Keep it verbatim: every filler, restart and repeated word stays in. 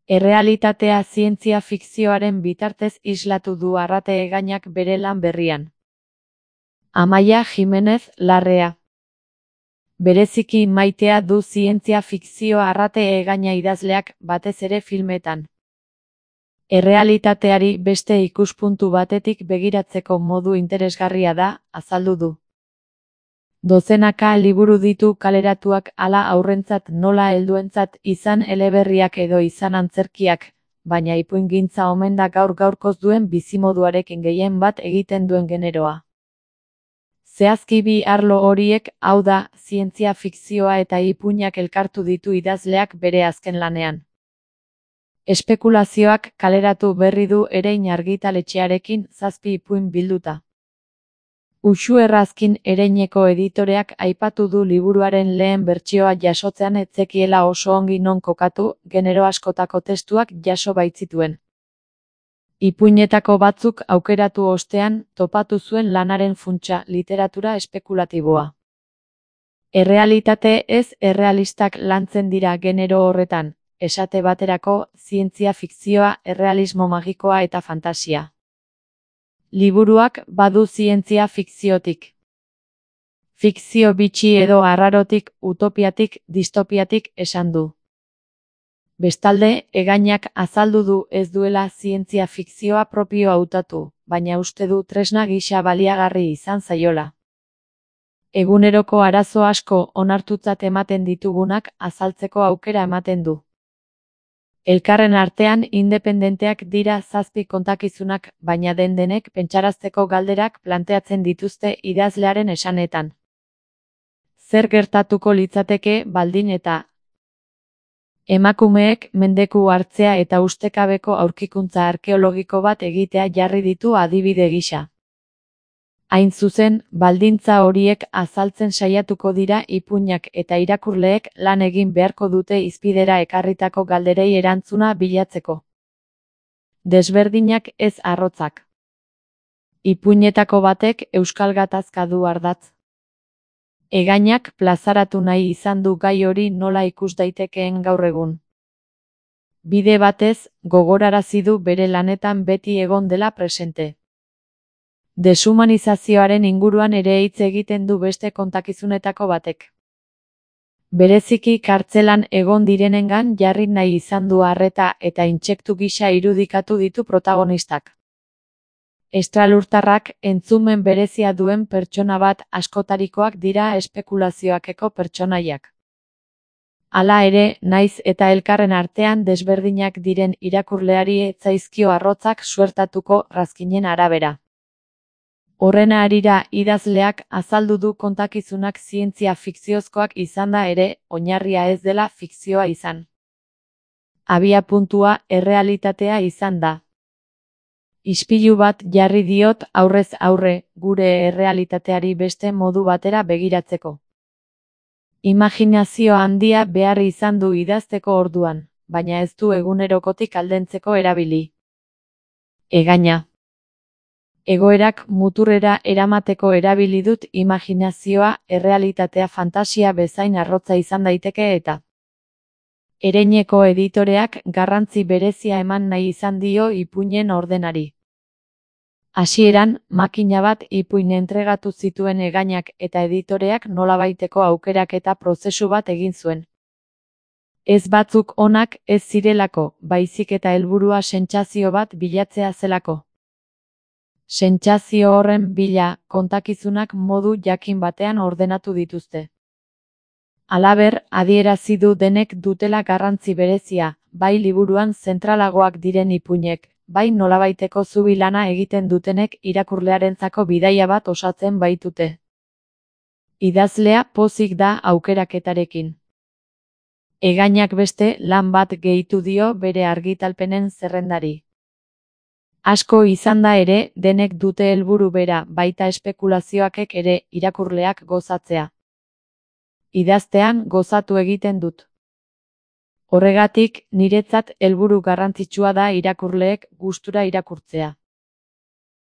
Errealitatea zientzia fikzioaren bitartez islatu du Arrate Egainak bere lan berrian. Amaia Jimenez Larrea. Bereziki maitea du zientzia fikzio Arrate Egaina idazleak, batez ere filmetan. Errealitateari beste ikuspuntu batetik begiratzeko modu interesgarria da, azaldu du. Dozenaka liburu ditu kaleratuak, hala haurrentzat nola helduentzat, izan eleberriak edo izan antzerkiak, baina ipuingintza omen da gaur gaurkoz duen bizimoduarekin gehien bat egiten duen generoa. Zehazki bi arlo horiek, hau da, zientzia fikzioa eta ipuinak elkartu ditu idazleak bere azken lanean. Espekulazioak kaleratu berri du Erein argitaletxearekin zazpi ipuin bilduta. Uxu Errazkin Ereineko editoreak aipatu du liburuaren lehen bertsioa jasotzean ez zekiela oso ongi non kokatu, genero askotako testuak jaso baitzituen. Ipuinetako batzuk aukeratu ostean, topatu zuen lanaren funtsa, literatura espekulatiboa. Errealitate ez errealistak lantzen dira genero horretan, esate baterako, zientzia fikzioa, errealismo magikoa eta fantasia. Liburuak badu zientzia fikziotik. Fikzio bitxi edo arrarotik, utopiatik, distopiatik esan du. Bestalde, Egainak azaldu du ez duela zientzia fikzioa propio hautatu, baina uste du tresna gisa baliagarri izan zaiola. Eguneroko arazo asko onartutzat ematen ditugunak azaltzeko aukera ematen du. Elkarren artean independenteak dira zazpi kontakizunak, baina den-denek pentsarazteko galderak planteatzen dituzte idazlearen esanetan. Zer gertatuko litzateke baldin eta emakumeek mendeku hartzea eta ustekabeko aurkikuntza arkeologiko bat egitea jarri ditu adibide gisa. Hain zuzen, baldintza horiek azaltzen saiatuko dira ipuinak eta irakurleek lan egin beharko dute hizpidera ekarritako galderei erantzuna bilatzeko. Desberdinak ez arrotzak. Ipuinetako batek euskal gatazka du ardatz. Egainak plazaratu nahi izan du gai hori nola ikus daitekeen gaur egun. Bide batez, gogorarazi du bere lanetan beti egon dela presente. Deshumanizazioaren inguruan ere hitz egiten du beste kontakizunetako batek. Bereziki kartzelan egon direnengan jarri nahi izan du arreta eta intsektu gisa irudikatu ditu protagonistak. Estralurtarrak entzumen berezia duen pertsona bat askotarikoak dira espekulazioakeko pertsonaiak. Hala ere, naiz eta elkarren artean desberdinak diren irakurleari ez zaizkio arrotzak suertatuko Razkinen arabera. Horren harira idazleak azaldu du kontakizunak zientzia fikziozkoak izanda ere, oinarria ez dela fikzioa izan. Abia puntua errealitatea izan da. Ispilu bat jarri diot aurrez aurre, gure errealitateari beste modu batera begiratzeko. Imaginazio handia behar izan du idazteko orduan, baina ez du egunerokotik aldentzeko erabili. Egaina. Egoerak muturrera eramateko erabili dut imaginazioa, errealitatea fantasia bezain arrotza izan daiteke eta. Ereineko editoreak garrantzi berezia eman nahi izan dio ipuinen ordenari. Hasieran, makina bat ipuin entregatu zituen Egainak eta editoreak nolabaiteko aukerak eta prozesu bat egin zuen. Ez batzuk onak ez zirelako, baizik eta helburua sentsazio bat bilatzea zelako. Sentsazio horren bila, kontakizunak modu jakin batean ordenatu dituzte. Halaber, adierazi du denek dutela garrantzi berezia, bai liburuan zentralagoak diren ipuinek, bai nolabaiteko zubi lana egiten dutenek irakurlearentzako bidaia bat osatzen baitute. Idazlea pozik da aukeraketarekin. Egainak beste lan bat gehitu dio bere argitalpenen zerrendari. Asko izan da ere, denek dute helburu bera, baita espekulazioakek ere, irakurleak gozatzea. Idaztean gozatu egiten dut. Horregatik, niretzat helburu garrantzitsua da irakurleek gustura irakurtzea.